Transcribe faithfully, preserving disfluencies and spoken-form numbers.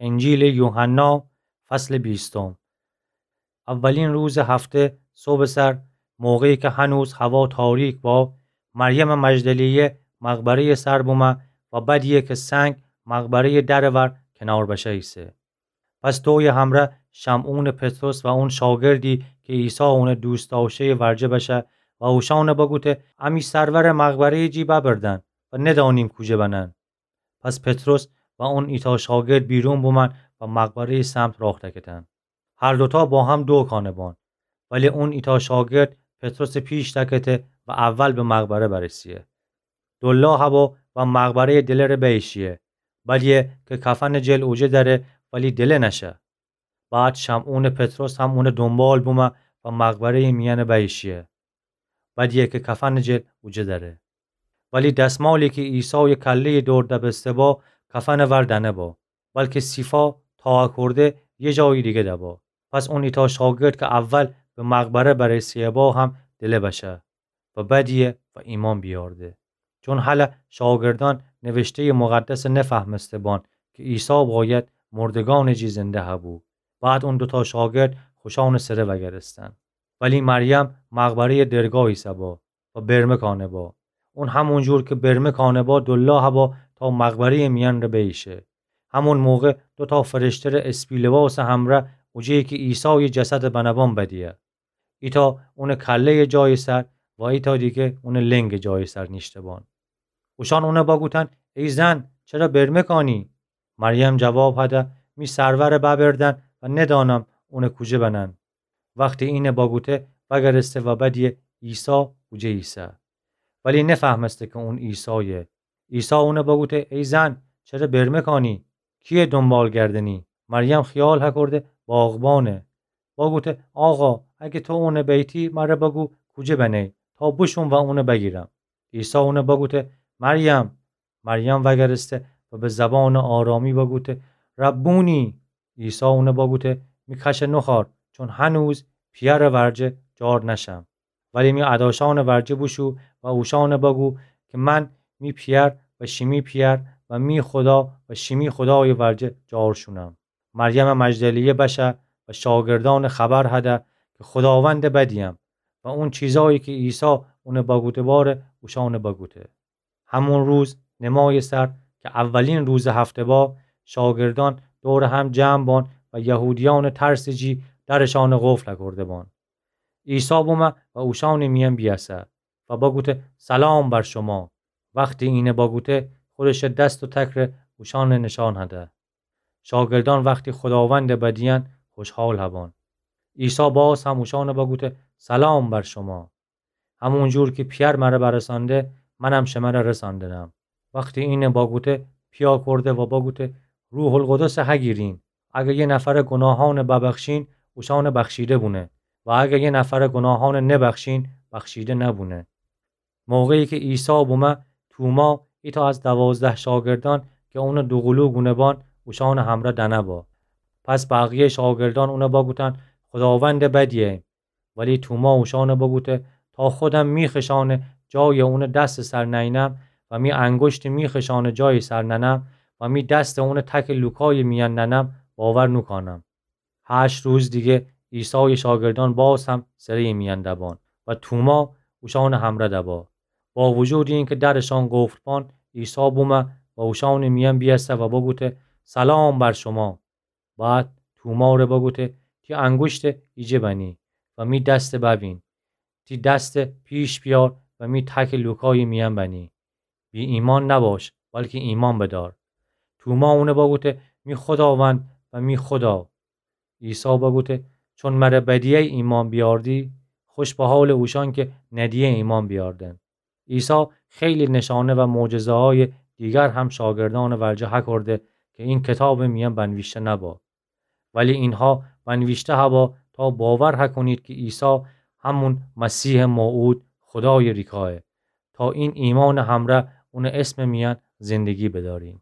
انجیل یوحنا، فصل بیستم. اولین روز هفته صبح سر، موقعی که هنوز هوا تاریک با، مریم مجدلیه مقبرهٔ سر بومه و بدیه که سنگ مقبرهٔ در ور کنار بشه ایسه. پس دوی همره شمعون پطرس و اون شاگردی که عیسی اونه دوست داشته‌ی ورجه بشه و اوشانه بگوته: امی سرور مقبره‌ی جی ببردن و ندانیم کوجه بنن. پس پطرس و اون ایتا شاگرد بیرون بومن و مقبره‌ی سمت راه دکتن. هر دوتا با هم دو کانه بان. ولی اون ایتا شاگرد پطرس پیش دکته و اول به مقبره برسیه. دلا هبا و مقبره‌ی دله ره بیشیه. بدیه که کفن جل اوجه دره ولی دله نشه. بعد شمعون پطرس هم اونه دنبال بومه و مقبره‌ی میان بیشیه. بدیه که کفن جل اوجه دره. ولی دسمالی که عیسای کله‌ی دور دبسته با، کفن ور دنه با، بلکه صیفا تا اکرده یه جای دیگه دبا. پس اون ایتا شاگرد که اول به مقبره برسیه با هم دله بشه و بدیه و ایمان بیارده. چون هله شاگردان نوشته‌ی مقدس نفهمسته بان که عیسی باید مردگان جی زنده هبو. بعد اون دوتا شاگرد خوشان سره وگرستن. ولی مریم مقبره‌ی درگاه ایسه با و برمه کانه با. اون همون جور که برمه کانه با، دلا هبا تا مقبره‌ی میان ره بیشه. همون موقع دوتا فرشته ره اسپی لباس همره اوجه‌یی که عیسای جسد بنه بان بدیه. ایتا اون کله‌ی جای سر و ایتا دیگه اون لنگ جای سر نیشته بان. اوشان اونه بگوتن: ای زن، چره برمه کانی؟ مریم جواب هده: می سرور ببردن و ندانم اون کوجه بنن. وقتی اینه بگوته، وگرسته و بدیه عیسی اوجه ایسه. ولی نفهمسته که اون عیسایه. عیسی اونه بگوته: ای زن، چره برمه کانی؟ کیه دنبال گردنی؟ مریم خیال هکرده باغبانه. بگوته: آقا، اگه تو اونه بیتی، مره بگو کوجه بنی، تا بشوم و اونه بگیرم. عیسی اونه بگوته: مریم! مریم وگرسته و به زبان آرامی بگوته: ربونی! عیسی اونه بگوته: می کشه نخار، چون هنوز پیأر ورجه جار نشم. ولی می اداشان ورجه بوشو و اوشان بگو که من می پیأر و شیمی پیأر و می خدا و شیمی خدای ورجه جار شونم. مریم مجدلیه بشه و شاگردان خبر هده که خداوند بدیم و اون چیزایی که عیسی اونه بگوته باره اوشان بگوته. همون روز نمای سر که اولین روز هفته با، شاگردان دور هم جمع بان و یهودیان ترس جی درشان قفل کرده بان. عیسی بومه و اوشان میان بیاسه و بگوته: سلام بر شما. وقتی اینه بگوته، خودش دست و تک ره اوشان نشان هده. شاگردان وقتی خداوند بدیان، خوشحال هبان. عیسی باز هم اوشان بگوته: سلام بر شما. همون جور که پیأر مره برسانده، منم شمره رساندنم. وقتی اینه بگوته، پیاکرده و بگوته: روح القدس هگیرین. اگه یه نفر گناهان ببخشین، اوشان بخشیده بونه. و اگه یه نفر گناهان نبخشین، بخشیده نبونه. موقعی که عیسی بومه، توما، ایتا از دوازده شاگردان که اون دوقلو گونه بان، اوشان همره دنه با. پس بقیه شاگردان اون بگوتن: خداوند بدیه. ولی توما اوشان بگوته: تا خودم می خشان جای اون دست سر نینم و می انگشت می خشان جای سر ننم و می دست اون تک لوکای میان ننم، باور نوکانم. هشت روز دیگه عیسای شاگردان باز هم سره‌ی میان دبان و توما اوشان همره دبا. با وجود اینکه درشان قفل بان، عیسی بومه و اوشان میان بیاسه و بگوته: سلام بر شما. بعد توما ره بگوته: تی انگشت ایجه بنی و می دست ببین. تی دست پیش بیار و می تک لوکای میان بنی. بی ایمان نباش، بلکه ایمان بدار. توما اونه بگوته: می خداوند و می خدا. عیسی بگوته: چون مره بدیی ایمان بیاردی، خوش به حال اوشان که ندیی ایمان بیاردن. عیسی خیلی نشانه و معجزه‌های دیگر هم شاگردان ورجه هکرده که این کتاب میان بنویشته نبا. ولی اینها بنویشته هبا تا باور هکنید که عیسی همون مسیح موعود خدای ریکایه، تا این ایمان همره اون اسم میان زندگی بدارین.